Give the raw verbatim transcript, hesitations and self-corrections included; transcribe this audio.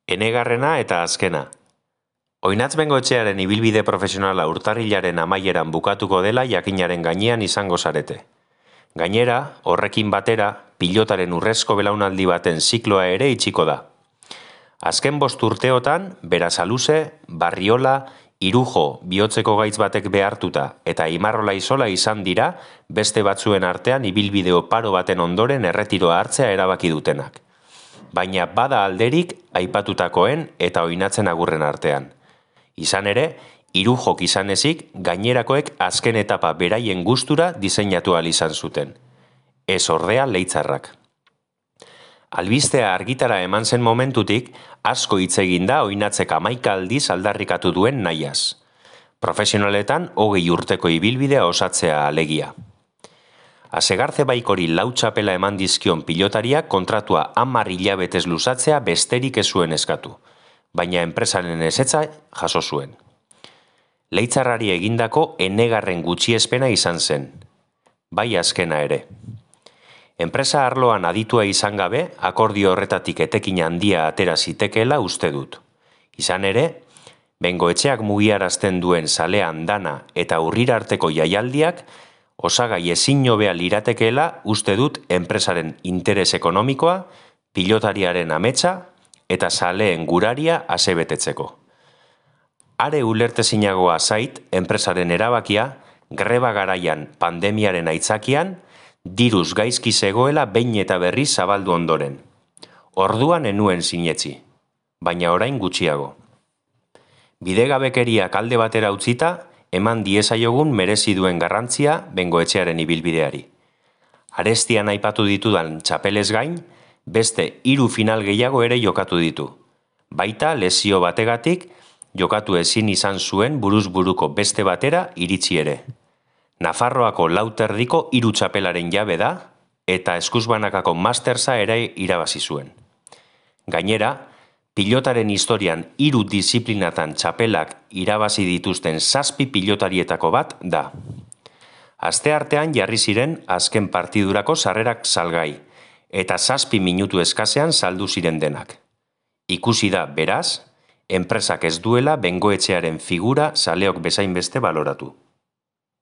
Enegarrena eta azkena. Oinatz Bengoetxearen ibilbide profesionala urtarrilaren amaieran bukatuko dela jakinaren gainean izango zarete. Gainera, horrekin batera, pilotaren urrezko belaunaldi baten zikloa ere itxiko da. Azken bost urteotan, Berasaluze, Barriola, Irujo bihotzeko gaitz batek behartuta eta Imarrola Izola izan dira beste batzuen artean ibilbide oparo baten ondoren erretiroa hartzea erabaki dutenak. Baina bada alderik aipatutakoen eta oinatzen agurren artean. Izan ere, Irujok izan ezik, gainerakoek azken etapa beraien gustura diseinatu ahal izan zuten. Ez ordea Leitzarrak. Albistea argitara eman zen momentutik, asko hitz egin da oinatzek hamaika aldiz aldarrikatu duen nahiaz. Profesionaletan hogei urteko ibilbidea osatzea alegia. Asegarze Baikori lau txapela eman dizkion pilotariak kontratua hamar hilabetez luzatzea besterik ez zuen eskatu, baina enpresaren ezetza jaso zuen. Leitzarrari egindako enegarren gutxiespena izan zen, bai azkena ere. Enpresa arloan aditua izan gabe, akordio horretatik etekin handia atera zitekeela uste dut. Izan ere, Bengoetxeak mugiarazten duen zalean dana eta urrira arteko jaialdiak, osagai ezin hobea liratekeela uste dut enpresaren interes ekonomikoa, pilotariaren ametsa eta zaleen guraria asebetetzeko. Are ulertezinagoa zait enpresaren erabakia, greba garaian pandemiaren aitzakian, diruz gaizki zegoela behin eta berri zabaldu ondoren. Orduan enuen sinetzi, baina orain gutxiago. Bidegabekeriak alde batera utzita, eman diezaiogun merezi duen garrantzia Bengoetxearen ibilbideari. Arestian aipatu ditudan txapelez gain, beste hiru final gehiago ere jokatu ditu. Baita lesio bategatik, jokatu ezin izan zuen buruz buruko beste batera iritsi ere. Nafarroako lauterdiko hiru txapelaren jabe da, eta eskuzbanakako mastersa ere irabazi zuen. Gainera, pilotaren historian hiru disiplinatan txapelak irabazi dituzten zazpi pilotarietako bat da. Asteartean jarri ziren azken partidurako sarrerak salgai, eta zazpi minutu eskasean saldu ziren denak. Ikusi da, beraz, enpresak ez duela Bengoetxearen figura zaleok bezain beste baloratu.